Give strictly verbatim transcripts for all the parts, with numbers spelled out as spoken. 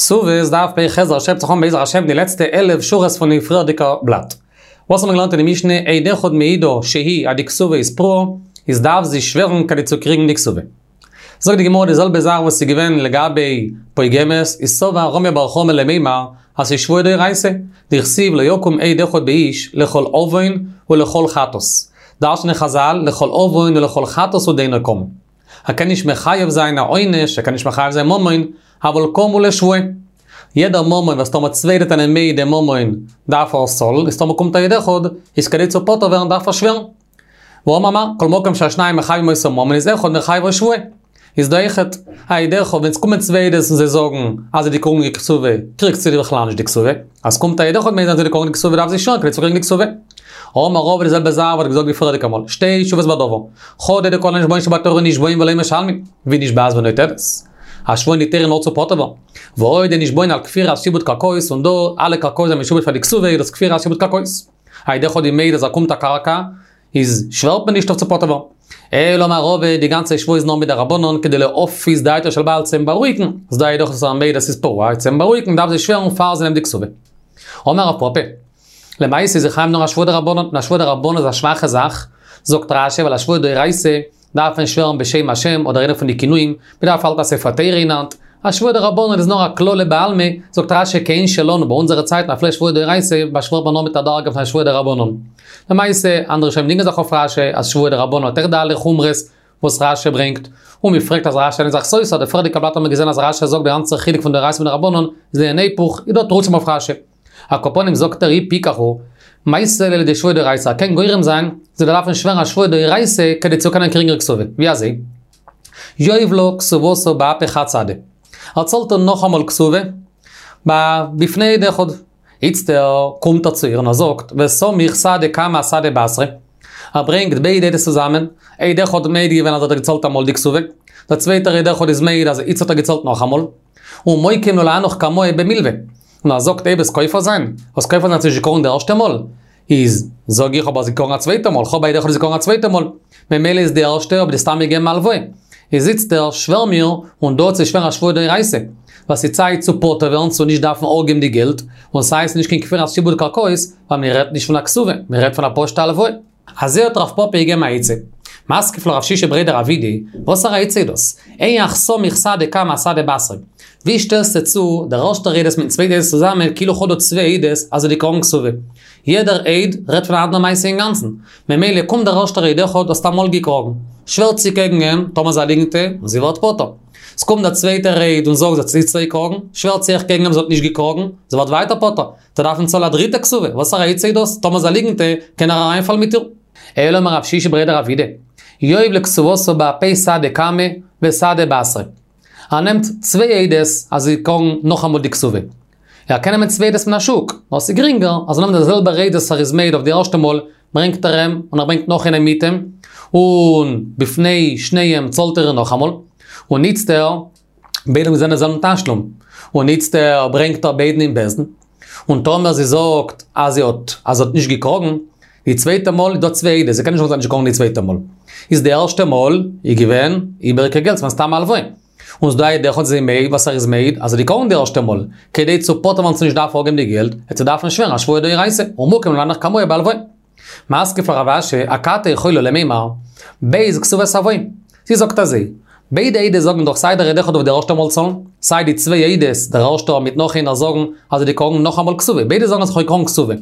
כתובות דף פ"ח הייבט זיך אן בעזר השם די לעצטע עלף שורות פון די פריערדיגע בלאט. וואס האבן מיר געלערנט אין די משנה עד אחד מעידה שהיא אז די כתובה איז פרועה, איז דארף זי שווערן כדי צו קריגן די כתובה. זאגט די גמרא די זעלבע זאך וואס איז געווען לגבי פוגמת, איז סבר רמי בר חמא למימר אז ס'איז שבועה דאורייתא, דכתיב לא יקום עד אחד באיש לכל עוון ולכל חטאת. דרש'נען חזל לכל עוון ולכל חטאת הוא דאינו קם. ער קען נישט מחייב זיין א עונש, ער קען נישט מחייב זיין ממון, אבל קם הוא לשבועה. יעדער ממון וואס טאמער צוויי עדות זענען מעיד דעם ממון דארף ער עס צאלן, איז טאמער קומט א עד אחד, איז כדי צו פטור ווערן דארף ער שווערן. ואמר מר, כל מקום שהשניים מחייבים אותו ממון איז אחד מחייבו שבועה. איז דא אויכעט א עד אחד, ווען ס'קומען צוויי עדות און זיי זאגן אז זי האט געקראגן די כתובה, קריגט זי בכלל נישט די כתובה. אז ס'קומט א עד אחד מעיד אז זי האט געקראגן די כתובה דארף זי שווערן כדי צו קריגן די כתובה. אמר רבא די זעלבע זאך וואס געזאגט די פריערדיגע מאל, שתי תשובות בדבר, חדא דכל הנשבעין שבתורה נשבעין ולא משלמין, והיא נשבעת ונוטלת. א שבועה אין די תורה נאר צו פטור ווערן. ועוד דנשבעין על כפירת שעבוד קרקעות און דא אלע קרקעות זענען משועבד פאר די כתובה איז דאס כפירת שעבוד קרקעות. א עד אחד איז מעיד אז ער באקומט א קרקע, איז שווערט מען נישט אויף צו פטור ווערן. אלא אמר רבא, די גאנצע שבועה איז נאר מדרבנן כדי להפיס דעתו של בעל צו אים בארואיגן, אז דא א עד אחד איז מעיד אז ס'איז פרוע, צו אים בארואיגן דארף זי שווערן פאר זי נעמט די כתובה. אמר רב פפא, למעשה איז זי חייב נאר א שבועה דרבנן, און א שבועה דרבנן איז א שוואכע זאך, זאגט רשי ווייל א שבועה דאורייתא דארף מען שווערן בשם השם אדער איינע פון די כינויים, מען דארף האלטן א ספר תורה אין האנט, א שבועה דרבנן איז נאר א קללה בעלמא, זאגט רשי כעין שלנו ביי אונזערע צייטן אפילו שבועה דאורייתא באשווערט מען נאר מיט א דרגה פון א שבועה דרבנן. למעשה, אנדערע ראשונים דינגען זיך אויף רשי אז שבועה דרבנן האט אויך די אלע חומרות וואס רשי ברענגט, און מען פרעגט אז רשי איז זיך סותר, די פריערדיגע בלאט האט מען געזען אז רשי זאגט די גאנצע חילוק פון דאורייתא און דרבנן איז לענין היפוך, איז דא תירוצים אויף רשי. על כל פנים זאגט ער אי פיקח הוא, מייתי ליה לידי שבועה דאורייתא, ער קען גורם זיין, זי זאל דארפן שווערן א שבועה דאורייתא כדי צו קענען קריגן איר כתובה. ווי אזוי? יהיב לה כתובתה באפי חד סהדא. ער צאלט איר נאכאמאל כתובה, בפני עד אחד. איצטער קומט ער צו איר און ער זאגט, וסמיך סהדא קמא אסהדא בתרא. ער ברענגט ביידע עדות צוזאמען, עד אחד האט מעיד געווען אז ער האט געצאלט אמאל די כתובה, דער צווייטער עד אחד איז מעיד אז איצט האט ער געצאלט נאכאמאל. ומוקים לה להנך קמאי במלווה. און ער זאגט אויב וועסט כופר זיין, וועסט כופר זיין האסט נישט געקראגן די ערשטע מאל, איז זאג איך אבער האסט געקראגן א צווייטע מאל, כ'האב א עד אחד האסט געקראגן א צווייטע מאל, ממילא איז די ערשטע האב איך דיר סתם געגעבן הלוואה. איז איצטער שווער מיר, און דא צו שווערן א שבועה דאורייתא, ווייל ס'איז צייט צו פטור ווערן צו נישט דארפן אפגעבן די געלט, און סיי ס'איז נישט קיין כפירת שעבוד קרקעות, ווייל מען רעדט נישט פון א כתובה, מען רעדט פון א פשוטע הלוואה. אזוי האט רב פפא געגעבן א עצה. מתקיף לה רב שישא בריה דרב אידי, וואסערע עצה איז דאס? היאך סמיך סהדא קמא אסהדא בתרא. ווי שטעלסטו צו דער ערשטער עדות מיטן צווייטע עדות צוזאמען כאילו כ'האב דא צוויי עדות אז זי האט געקראגן כתובה. יעדער עד רעדט פון א אנדערע מעשה אינגאנצן. ממילא קומט דער ערשטער עד אחד האסט אמאל געקראגן. שווערט זי קעגן אים, טאמער ס'איז א ליגנטע, און זי ווערט פטור. ס'קומט דער צווייטער עד און זאגט זי האט איצטער געקראגן, שווערט זי אויך קעגן אים זי האט נישט געקראגן, זי ווערט ווייטער פטור. זי דארפן צאלן א דריטע כתובה, וואסערע עצה איז דאס? טאמער ס'איז א ליגנטע, קען ער אריינפאלן מיט איר. אלא אמר רב שישא בריה דרב אידי, יהיב לה כתובתה באפי סהדא קמא וסהדא בתרא. ער נעמט צוויי עדות אז זי קראגן נאכאמאל די כתובה. ער קען נעמען צוויי עדות מן השוק, נאר ס'איז גרינגער אז ער נעמט די זעלבע עדות וואס ער איז מעיד אויף די ערשטע מאל, ברענגט ער אים און ער ברענגט נאך איינעם מיט אים, און בפני שניהם צאלט ער איר נאכאמאל, און איצטער ביידע האבן געזען די זעלבן תשלום, און איצטער ברענגט ער ביידן אין בית דין, און טאמער זי זאגט אז זי האט אז זי האט נישט געקראגן, די צווייטע מאל איז דא צוויי עדות, זי קען נישט זאגן זי האט נישט געקראגן די צווייטע מאל. איז די ערשטע מאל איז געווען איבעריגע געלט, ס'געווען סתם א הלוואה. און ס'דא א עד אחד זי מעיד וואס ער איז מעיד אז זי האט געקראגן די ערשטע מאל, כדי צו פטור ווערן צו נישט דארפן אפגעבן די געלט, וועט זי דארפן שווערן א שבועה דאורייתא, ומוקים לה להנך קמאי בהלוואה. מתקיף לה רב אשי, אכתי יכולה למימר, ב' כתובות הואי. זי זאגט אזוי, ביידע עדות זאגן דאך סיי דער עד אחד אויף די ערשטע מאל צאלן, סיי די צוויי עדות, דער ערשטער מיט נאך איינער זאגן אז זי האט געקראגן נאכאמאל כתובה, ביידע זאגן אז כ'האב געקראגן כתובה.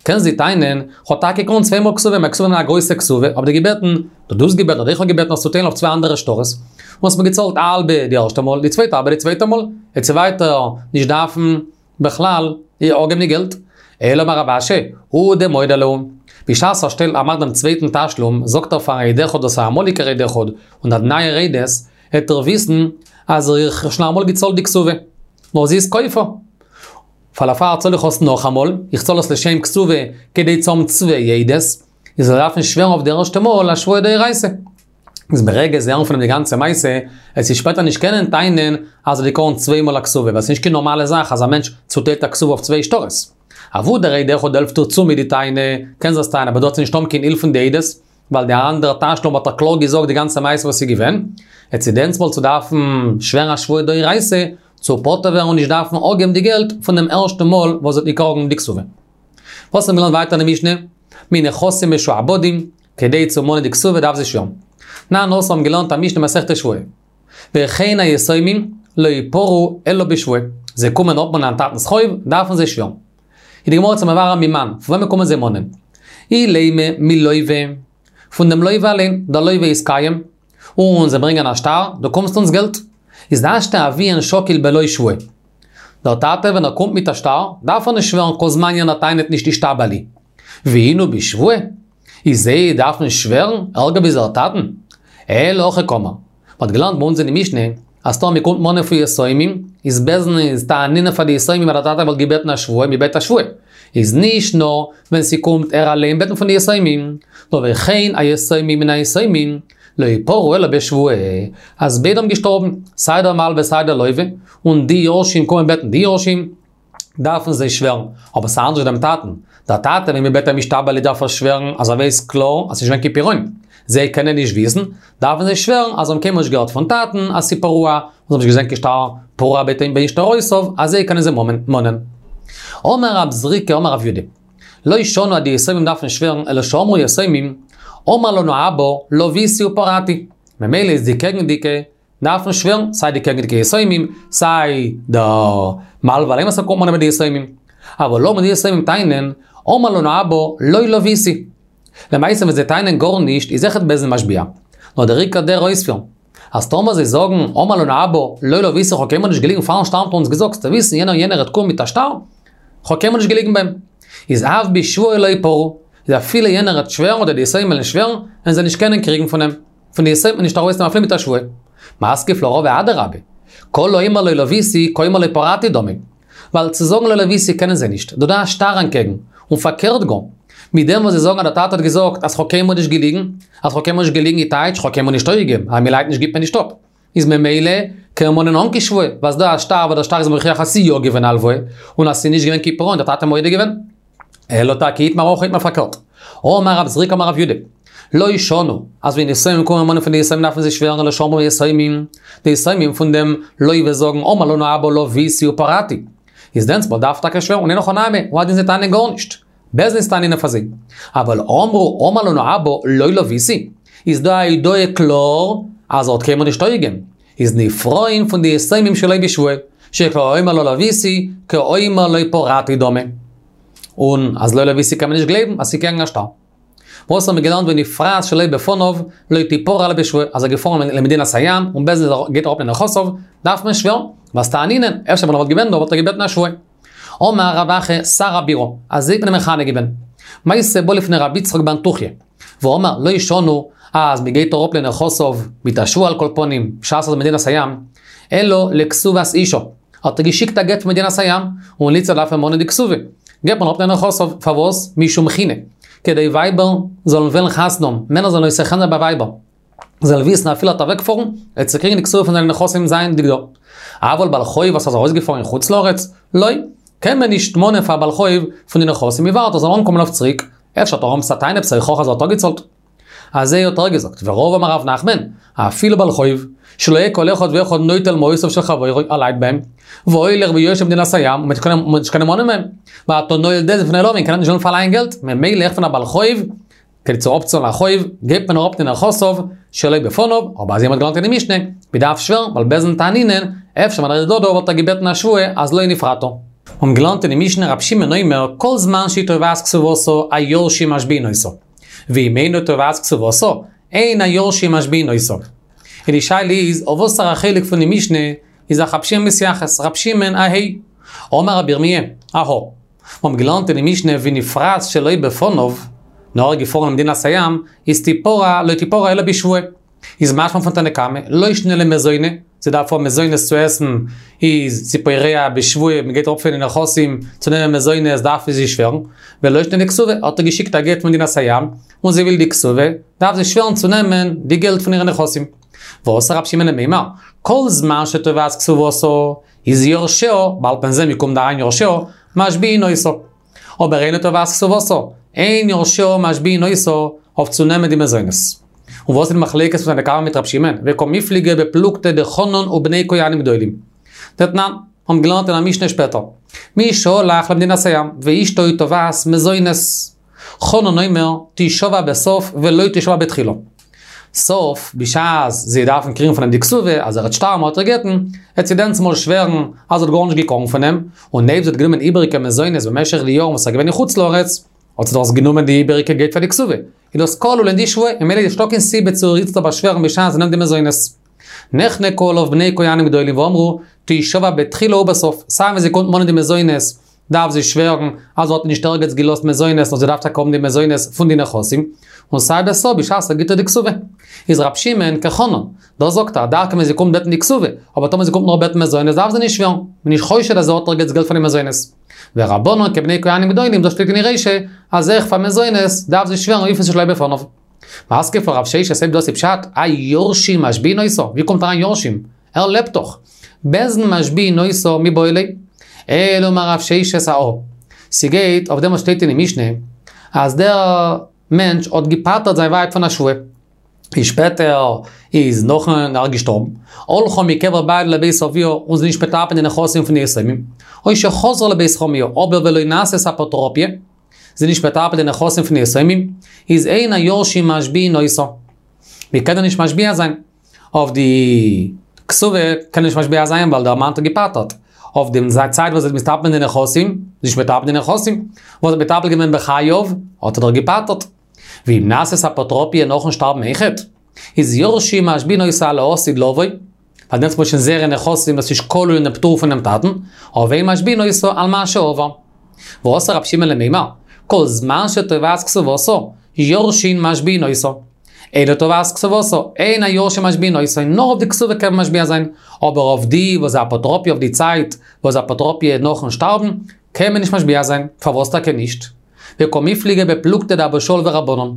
קען זי טענה'ן, כ'האב טאקע געקראגן צוויי מאל כתובה, מיין כתובה איז א גרויסע כתובה, האב דיר געבעטן, דו האסט געבעטן אדער איך האב געבעטן עס צו טיילן אויף צוויי אנדערע שטרות, און האסט מיר געצאלט א האלבע די ערשטע מאל, די צווייטע האלבע די צווייטע מאל, וועט זי ווייטער נישט דארפן בכלל איר אפגעבן די געלט. אלא אמר רב אשי, הוא דמודה להו. בשעת ער שטעלט ער מאכט דעם צווייטן תשלום, זאגט ער פארן עד אחד דאס איז א אמאליגער עד אחד, און די נייער עדות, העט ער וויסן אז איך האב שוין אמאל געצאלט די כתובה. נאר זי איז כופה. פאר דערפאר צאל איך עס נאכאמאל, איך צאל עס לשם כתובה כדי צו האבן צוויי עדות, איז זאל דארפן שווערן אויף די ערשטע מאל א שבועה דאורייתא. איז ברגע זיי הערן פון אים די גאנצע מעשה, וועט זי שפעטער נישט קענען טענה'ן אז זי האט געקראגן צוויי מאל א כתובה, ווייל ס'איז נישט קיין נארמאלע זאך אז א מענטש צוטיילט א כתובה אויף צוויי שטרות. אוואו דער עד אחד העלפט איר צו מיט די טענה, קען זי עס טענה'ן, אבער דא האט זי נישט האבן קיין הילף פון די עדות, ווייל די אנדערע תשלום האט ער קלאר געזאגט די גאנצע מעשה וואס איז געווען, וועט זי דענסמאל צו דארפן שווערן א שבועה דאורייתא, צו פטור ווערן און נישט דארפן אפגעבן די געלט פון דעם ערשטן מאל וואס זי האט געקראגן די כתובה. וואס האבן מיר געלערנט ווייטער אין די משנה? מנכסים משועבדים, כדי צו מאנען די כתובה דארף זי שווערן. תנן התם האבן געלערנט א משנה מסכת שבועה. וכן היתומים לא יפרעו אלא בשבועה. זיי קומען אפמאנען טאטנ'ס חוב, דארפן זיי שווערן. איז די גמרא צו מברר ממאן, פון וועמען קומען זיי מאנען? אילימא מלווה, פון דעם לווה אליין, דער לווה איז קיים, און זיי ברענגען א שטר, דו קומסט אונז געלט. איז השתא אביהן שקיל בלא שבועה. דער טאטע ווען ער קומט מיט א שטר, דארף ער נישט שווערן כל זמן יענער טענה'ט נישט אישתבע לי. ואינהו בשבועה? איז זיי דארפן שווערן ערגער ווי זייער טאטן? אלא הכי קאמר. מ'האט געלערנט ביי אונז אין די משנה, אז טאמער מ'קומט מאנען פון יתומים, איז בית דין איז תענינן פאר די יתומים אז דער טאטע וואלט געבעטן א שבועה, מ'בעט א שבועה. איז נישט נאר ווען ס'קומט ער אליין בעטן פון די יתומים, נאר וכן היתומים מן היתומים, לא יפרעו אלא בשבועה, אז ביידע האבן געשטארבן, סיי דער מלווה סיי דער לווה, און די יורשים קומען בעטן די יורשים, דארפן זיי שווערן, אבער ס'אנדערש דעם טאטן, דער טאטע ווען מ'בעט אים אישתבע לי דארף ער שווערן אז ער ווייסט קלאר אז ס'נישט געווען קיין פירעון, זיי קענען נישט וויסן, דארפן זיי שווערן אז זיי האבן קיינמאל נישט געהערט פון טאטן אז ס'איז פרוע, און זיי האבן נישט געזען קיין שטר פרוע בין שטרותיו, אז זיי קענען זיי מאנען. אמר רב זריקא אמר רב יודא, לא שנו אז די יתומים דארפן שווערן אלא שאמרו יתומים, אמר לנו אבא לוויתי ופרעתי, ממילא איז די קעגנדיגע דארפן שווערן, סיי די קעגנדיגע יתומים, סיי דער מלווה אליין וואס ער קומט מאנען ביי די יתומים. אבל אמרו די יתומים טענה'ן, אמר לנו אבא לא לוויתי. למעשה ווען זיי טענה'ן גארנישט איז אויכעט בית דין משביע. נאר דער עיקר דער אויספיר. אז טאמער זיי זאגן אמר לנו אבא לא לוויתי כ'האב קיינמאל נישט געליגן פארן שטארבן האט אונז געזאגט זאלסטו וויסן יענער יענער וועט קומען מיט א שטר, כ'האב קיינמאל נישט געליגן ביי אים. איז אף בשבועה לא יפרעו, איז אפילו יענער וועט שווערן אדער די יתומים וועלן שווערן, וועלן זיי נישט קענען קריגן פון אים. פון די יתומים וועט מען נישט ארויסנעמען אפילו מיט א שבועה. מתקיף לה רבא אדרבה, כל האומר לא לוויתי כאומר לא פרעתי דמי. ווייל צו זאגן לא לוויתי קענען זיי נישט, דא דא א שטר אנטקעגן, און פארקערט גאר, מיט דעם וואס זיי זאגן אז דער טאטע האט געזאגט אז כ'האב קיינמאל נישט געליגן, אז כ'האב קיינמאל נישט געליגן איז טייטש כ'האב קיינמאל נישט אפגעגעבן, אז מ'לייט נישט גיבט מען נישט אפ. איז ממילא קען מען מאנען אן קיין שבועה, ווייל ס'דא א שטר וואס דער שטר איז מוכיח אז ס'איז יא געווען א הלוואה, און אז ס'איז נישט געווען קיין פירעון, דער טאטע מודה געווען. אלא טאקע איתמר הכי איתמר פארקערט. אמר רב זריקא אמר רב יודא, לא שנו, אז ווען יתומים קומען מאנען פון די יתומים דארפן זיי שווערן אלא שאמרו יתומים, די יתומים פון דעם לווה זאגן אמר לנו אבא לוויתי ופרעתי. איז דענסטמאל דארף טאקע שווערן און אין הכי נמי, הוא הדין זיי טענה'ן גארנישט. בית דין איז תענינן פאר זיי. אבל אמרו אמר לנו אבא לא לוויתי, איז דא א הודאה קלאר אז ער האט קיינמאל נישט אפגעגעבן. איז נפרעין פון די יתומים שלא בשבועה, שכל האומר לא לוויתי, כאומר לא פרעתי דמי. און אז לא לוויתי קען מען נישט גלייבן אז ס'קעגן א שטר. וואס האבן מיר געלערנט ונפרעת שלא בפניו, לא תפרע אלא בשבועה, אז ער איז געפארן למדינת הים, און בית דין גייט אראפ לנכסיו, דארף מען שווערן, ווייל תענינן, אפשר ווען ער וואלט געווען דא וואלט ער געבעטן א שבועה. אמר רב אחא שר הבירה, אזוי האט מען אים מכנה געווען. מעשה בא לפני רבי יצחק באנטוכיא, ואמר לא שנו, אז מען גייט אראפ לנכסיו מיט א שבועה על כל פנים, בשעת אז מדינת הים, אלא לכתובת אשה, האט ער געשיקט א גט פון מדינת הים, און איצטער דארף ער מאנען די כתובה, גייט מען אראפ לנכסיו, פארוואס? משום חינא, כדי ווייבער זאלן וועלן חתונה האבן, מענער זאלן נושא חן זיין ביי ווייבער. זאל וויסן אפילו ער וועט אוועקפארן, ער צו קריגן די כתובה פון זיינע נכסים זייענדיג דא. אבל בעל חוב וואס איז ארויסגעפארן אין חוץ לארץ, לא, קען מען נישט מאנען פאר בעל חוב פון די נכסים, מען ווארט ער זאל אנקומען אויף צוריק, אפשר האט ער עפעס א טענה עפעס א הוכחה אז ער האט אפגעצאלט. אזוי האט ער געזאגט, ורבא אמר רב נחמן, אפילו בעל חוב, שלא יהא כל אחד ואחד נוטל מעותיו של חברו, ער לייט ביי אים, והולך ויושב במדינת הים, און מען נישט קענען מאנען מהם, ואתה נועל דלת בפני לווין, קען ער נישט וועלן פארלייען געלט, ממילא אויך פון א בעל חוב, כדי צו אפצאלן א חוב, גייט מען אראפ לנכסיו שלא בפניו, אבער אזוי האט מען געלערנט אין די משנה, מען דארף שווערן, ווייל בית דין תענינן, אפשר ווען ער איז דא דא וואלט ער געבעטן א שבועה אז לא נפרעת. האבן געלערנט אין די משנה רב שמעון אומר כל זמן שהיא תובעת כתובתה היורשים משביעין אותה, ואם אינה תובעת כתובתה אין היורשים משביעין אותה. און די שאלה איז אויף וואסערע חלק פון די משנה איז זיך רב שמעון מתייחס, רב שמעון אהא אמר רבי ירמי' אהא. מיר האבן געלערנט אין די משנה ונפרעת שלא בפניו, נאר ער איז געפארן למדינת הים, איז תפרע לא תפרע אלא בשבועה. איז משמע פון תנא קמא, לא שנא למזוני, זי דארף האבן מזונות צו עסן, איז זי פורע בשבועה, מען גייט אראפ פון די נכסים צו נעמען מזונות דארף זי שווערן, ולא שנא לכתובה, האט ער געשיקט א גט פון מדינת הים, און זי וויל די כתובה, דארף זי שווערן צו נעמען די געלט פון אירע נכסים. ואתא רב שמעון למימר, כל זמן שתובעת כתובתה, איז יורשיה, באלד וועט מען זען ווי קומט אריין יורשיה, משביעין אותה. אבער אינה תובעת כתובתה, אין יורשיה משביעין אותה אויף צו נעמען די מזונות. און וואס איז די מחלוקת פון תנא קמא מיט רב שמעון? וקמיפלגי בפלוגתא דחנן ובני כהנים גדולים. דתנן, האבן געלערנט אין א משנה שפעטער. מי שהלך למדינת הים, ואשתו תובעת מזונות. חנן אומר, תשבע בסוף ולא תשבע בתחילה. סוף, בשעת זי דארפן קריגן פון אים די כתובה, אז ער וועט שטארבן האט ער גט'ן, וועט זי דענסמאל שווערן, אז זי האט גארנישט געקראגן פון אים, און אויב זי האט גענומען איבעריגע מזונות במשך די יארן וואס ער איז געווען אין חוץ לארץ, האט זי דאך גענומען די איבעריגע געלט פאר די כתובה. איז דאס כלול אין די שבועה, ממילא איז נישטא קיין סיבה צו איצטער באשווערן בשעת זי נעמט די מזונות. נחנקו עליו בני כהנים גדולים ואמרו, תשבע בתחילה ובסוף, סיי ווען זי קומט מאנען די מזונות, דארף זי שווערן אז זי האט נישט ערגעץ געלאזט מזונות, נאר זי דארף טאקע האבן די מזונות פון די נכסים, און סיי בסוף בשעת ער גיט איר די כתובה. איז רב שמעון כחנן, דא זאגט ער, דווקא ווען זי קומט בעטן די כתובה, אבער טאמער זי קומט נאר בעטן מזונות דארף זי נישט שווערן, מ'איז נישט חושד אז זי האט ערגעץ געלט פון די מזונות. ורבנן כבני כהנים גדולים, דאס שטייט אין די רישא, אז אויך פאר מזונות דארף זי שווערן אויף שלא בפניו. מתקיף לה רב ששת אויב דאס איז פשט, האי יורשים משביעין אותה, ווי קומט אריין יורשים? ער לעבט דאך. בית דין משביעין אותה מיבעי ליה. אלא אמר רב ששת אהא. ס'גייט אויף דעם וואס שטייט אין די משנה, אז דער מענטש האט געפטר'ט זיין ווייב פון א שבועה. איז שפעטער איז נאכן ער געשטארבן, הלכה מקבר בעלה לבית אביה און זי איז נישט מטפל אין די נכסים פון די יתומים, או שחזרה לבית חמיה אבער ולא נעשית אפוטרופיא, זי איז נישט מטפל אין די נכסים פון די יתומים, איז אין היורשים משביעין אותה. מ'קען איר נישט משביע זיין. אויף די כתובה קען מען נישט משביע זיין ווייל דער מאן האט איר געפטר'ט. אויף דעם צייט וואס זי איז מטפל אין די נכסים, זי איז נישט מטפל אין די נכסים, וואס זי האט מטפל געווען בחייו, האט ער דאך געפטר'ט. ואם נעשית אפוטרופיא נאכן שטארבן אויכעט, איז יורשים משביעין אותה על העתיד לבוא, ווייל דענסמאל איז שוין זייערע נכסים וואס איז כלול אין דעם פטור פונעם טאטן, אבער אין משביעין אותה על מה שעבר. ואתא רב שמעון למימר, כל זמן שתובעת כתובתה, יורשין משביעין אותה. אינה תובעת כתובתה, אין היורשים משביעין אותה, נאר אויף די כתובה קען מען משביע זיין, אבער אויף די וואס איז אפוטרופיא אויף די צייט וואס איז אפוטרופיא נאכן שטארבן, קען מען נישט משביע זיין, פארוואס טאקע נישט? וקמיפלגי בפלוגתא דאבא שאול ורבנן.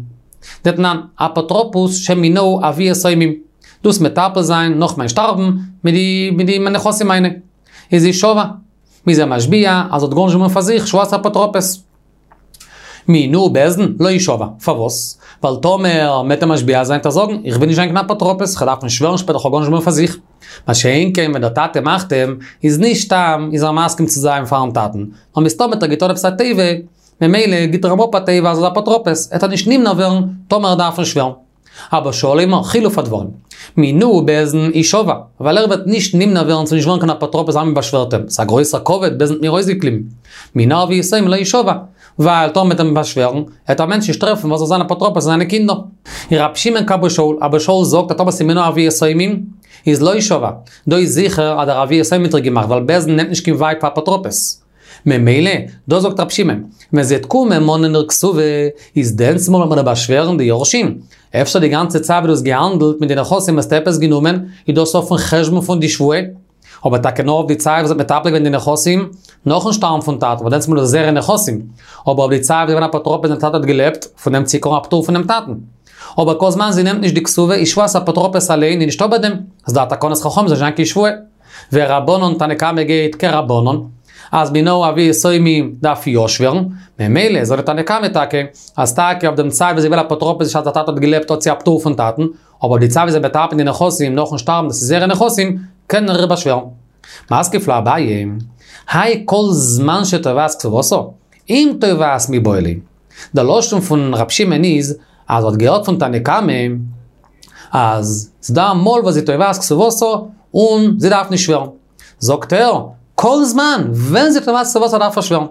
דתנן, אפוטרופוס שמינהו אבי יתומים. דו'סט מטפל זיין נאך מיין שטארבן מיט די מיט די נכסים מיינע. איז ישבע. מ'איז איר משביע אז זי האט גארנישט גענומען פאר זיך, שבועת אפוטרופוס. מינוהו בית דין, לא ישבע. פארוואס? ווייל טאמער מ'עט אים משביע זיין וועט ער זאגן, איך וויל נישט זיין קיין אפוטרופוס, כ'דארף נישט שווערן שפעטער כ'האב גארנישט גענומען פאר זיך. מה שאין כן ווען דער טאטע מאכט אים, איז נישט סתם איז ער מסכים צו זיין פארן טאטן, נאר מסתמא האט ער געטון עפעס א טובה, ממילא גיט ער אים אפ א טובה אז ער איז אפוטרופוס, עט ער נישט נמנע ווערן טאמער ער דארף אים שווערן. אבא שאול אומר, חילוף הדברים. מינוהו בית דין ישבע, ווייל ער וועט נישט נמנע ווערן צו נישט ווערן קיין אפוטרופוס אז מען באשווערט אים, ס'איז א גרויסער כבוד, בית דין האט מיר אויסגעקליבן. מינוהו אבי יתומים לא ישבע, ווייל טאמער מ'עט אים באשווערן, עט א מענטש נישט טרעפן וואס זאל זיין אפוטרופוס פאר זיינע קינדער. און רב שמעון כאבא שאול, אבא שאול זאגט אז טאמער ס'איז מינוהו אבי יתומים, איז לא ישבע. דא איז זיכער אז דער אבי יתומים האט איר געמאכט, ווייל בית דין נעמט נישט קיין ווייב פאר אפוטרופוס. ממילא, דא זאגט רב שמעון, ווען זי וועט קומען מאנען איר כתובה, איז דענסמאל וועט מען איר באשווערן די יורשים. אפשר די גאנצע צייט וואס דו האסט געהאנדלט מיט די נכסים האסטו עפעס גענומען, איז דאס אויפן חשבון פון די שבועה. אבער טאקע נאר אויף די צייט וואס זי האט מטפל געווען די נכסים, נאכן שטארבן פון טאטן, ווייל דענסמאל איז דאס זייערע נכסים. אבער אויף די צייט וואס זי איז געווען אפוטרופוס ווען טאטע האט געלעבט, פון דעם צו קריגן א פטור פונעם טאטן. אבער כל זמן זי נעמט נישט די כתובה איז שבועת אפוטרופוס אליין איז נישטא ביי דעם, איז דא א תקנת חכמים זאל נישט זיין קיין שבועה. ורבנן תנא קמא גייט כרבנן, אז מינוהו אבי יתומים דארף יא שווערן, ממילא זאגט די תנא קמא טאקע, אז טאקע אויף דעם צייט וואס זי איז געווען אפוטרופוס בשעת דער טאטע האט געלעבט האט זי א פטור פון טאטן, אבער די צייט וואס זי איז מטפל אין די נכסים נאכן שטארבן דאס איז זייערע נכסים, קען ער איר באשווערן. מתקיף לה אביי, האי כל זמן שתובעת כתובתה, אם תובעת מיבעי ליה. דער לשון פון ר' שמעון איז, אז ער האט געהערט פון תנא קמא, אז ס'דא אמאל וואס זי תובעת כתובתה און זי דארף נישט שווערן. זאגט ער, כל זמן, ווען זי תובעת כתובתה דארף ער שווערן.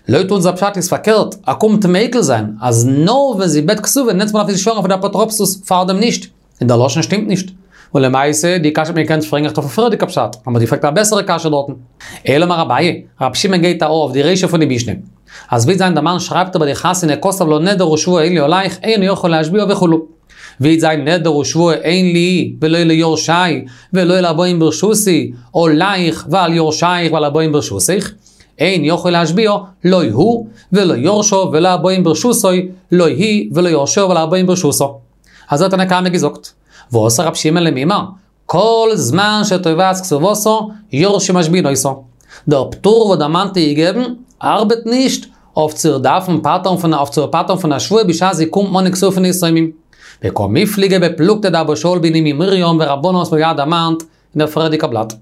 לויט אונזער פשט איז פארקערט, ער קומט מיקל זיין, אז נאר ווען זי בעט כתובה דענסמאל דארף זי שווערן אויף די אפוטרופסות, פארדעם נישט. און דער לשון שטימט נישט. און למעשה, די קשיא האט מען געקענט פרעגן אויך אויפן פריערדיגע פשט, אבער מ'האט געפרעגט א בעסערע קשיא דארטן. אלא אמר אביי, רב שמעון גייט אויף די רישא פון די משנה. אז וועט זיין דער מאן שרייבט ביי די חתונה כתב לה נדר ושבועה אין לי עליך אינו יכול להשביעה וכו'. וועט זיין נדר ושבועה אין לי ולא ליורשי ולא לבאים ברשותי עליך ועל יורשייך ועל הבאים ברשותך, אין יכול להשביעה לא הוא ולא יורשיו ולא הבאים ברשותו לא היא ולא יורשיה ולא הבאים ברשותה. אזוי האט תנא קמא געזאגט. ואתא רב שמעון למימר, כל זמן שתובעת כתובתה, יורשים משביעין אותה. דער פטור וואס דער מאן האט איר געגעבן, ארבעט נישט אויף צו איר דארפן פטר'ן פון אויף צו איר פטר'ן פון א שבועה בשעת זי קומט מאנען כתובה פון די יתומים. וקמיפלגי בפלוגתא דאבא שאול בן אמי מרים ורבנן וואס מ'האט געהאט דערמאנט אין דער פריערדיגע בלאט.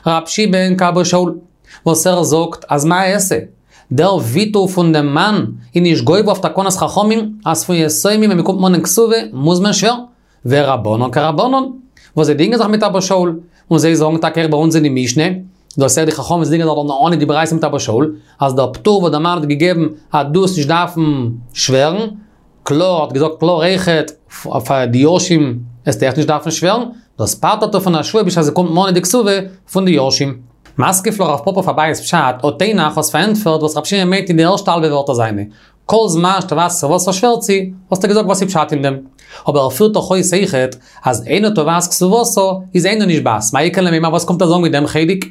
רב שמעון כאבא שאול, וואס ער זאגט אז מה אעשה? דער ויתור פון דעם מאן איז נישט גובר אויף תקנת חכמים, אז פון יתומים ווען מ'קומט מאנען כתובה מוז מען שווערן. ורבנן כרבנן, וואס זיי דינגען זיך מיט אבא שאול, און זיי זאגן טאקע אויך ביי אונז אין די משנה, דאס איז די חכמים וואס דינגען זיך דארט אן די ברייתא מיט אבא שאול, אז דער פטור וואס דער מאן האט געגעבן אז דו וועסט נישט דארפן שווערן, קלאר האט געזאגט קלאר אויכעט פאר די יורשים וועסטו אויך נישט דארפן שווערן, דאס פטר'ט ער פון א שבועה בשעת ס'קומט מאנען די כתובה פון די יורשים. מתקיף לה רב פפא אויף אביי'ס פשט, הא תינח האסט פארענטפערט וואס רב שמעון מיינט אין די ערשטע האלבע ווערטער זיינע, כל זמן שתובעת כתובתה שווערט זי, האסטו געזאגט וואס איז פשט אין דעם. אבער ער פירט דאך אויס אויכעט אז אינה תובעת כתובתה איז אינה נשבעת, מאי איכא למימר וואס קומט ער זאגן מיט דעם חלק?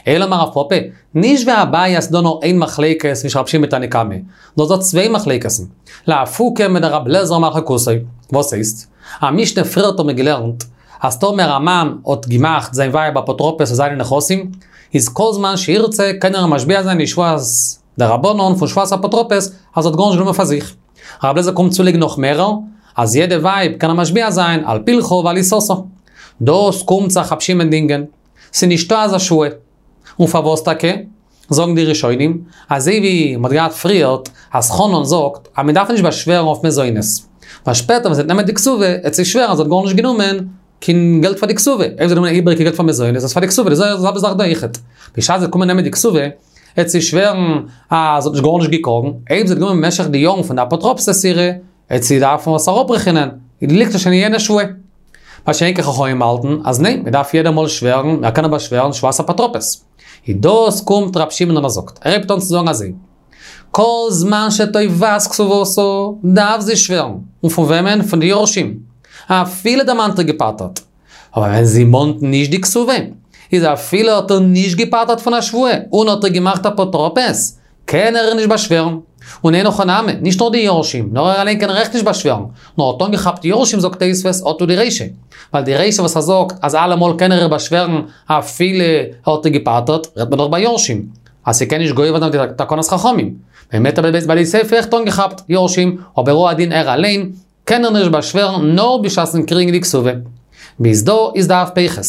אלא אמר רב פפא, נישט ווי אביי אז ס'דא נאר איין מחלוקת צווישן רב שמעון מיט תנא קמא, נאר ס'דא צוויי מחלוקת'ן, לאפוקי מדרבי אליעזר אומר חקותו. וואס הייסט? א משנה פריערט האט מען געלערנט אז טאמער א מאן האט געמאכט זיין ווייב אפוטרופוס אויף זיינע נכסים, איז כל זמן שירצה קען ער משביע זיין די שבועת דרבנן פון שבועת אפוטרופוס אז ער האט גארנישט גענומען פאר זיך. רבי אליעזר קומט צולייגן נאך מערער, אז יעדע ווייב קען ער משביע זיין על פלחה ועל עיסתה. דאס קומט זיך רב שמעון דינגען. ס'איז נישטא אזא שבועה. און פארוואס טאקע? זאגן די ראשונים, אזוי ווי מ'האט געהאט פריערט, אז חנן זאגט אז מ'דארף נישט באשווערן אויף מזונות. ווייל שפעטער ווען זי וועט נעמען די כתובה, וועט זי שווערן אז זי האט גארנישט גענומען קיין געלט פאר די כתובה. אויב זי האט גענומען איבעריגע געלט פאר מזונות, איז עס פאר די כתובה, די זעלבע זאך דא אויכעט. בשעת זי וועט קומען נעמען די כתובה, וועט זי שווערן אז זי האט נישט גארנישט געקראגן. אויב זי האט גענומען במשך די יארן פון די אפוטרופסות אירע, וועט זי דארפן עס אראפרעכענען, ליגט עס שוין אין יענע שבועה. מה שאין כן חכמים האלטן אז ניין, מען דארף יעדע מאל שווערן, מען קען אבער שווערן שבועת אפוטרופוס. איז דאס קומט רב שמעון און ער זאגט, ער הייבט אן צו זאגן אזוי, כל זמן שתובעת כתובתה דארף זי שווערן, און פון וועמען? פון די יורשים, אפילו דער מאן האט איר געפטר'ט. אבער ווען זי מאנט נישט די כתובה, איז אפילו האט ער נישט געפטר'ט פון א שבועה און האט איר געמאכט אפוטרופוס, קען ער איר נישט באשווערן. און אין הכי נמי, נישט נאר די יורשים, נאר ער אליין קען איר אויך נישט באשווערן. נאר האט אנגעכאפט יורשים זאגט תוספות, אטו די רישא. ווייל די רישא וואס ער זאגט אז אלעמאל קען ער איר באשווערן אפילו ער האט איר געפטר'ט, רעדט מען דאך ביי יורשים. אז ס'קען נישט גובר זיין די תקנת חכמים. באמת אבער ביי די סיפא אויכעט אנגעכאפט יורשים, אבער הוא הדין ער אליין, קען ער נישט באשווערן נאר בשעת'ן קריגן די כתובה. ביז דא איז דף פ"ח.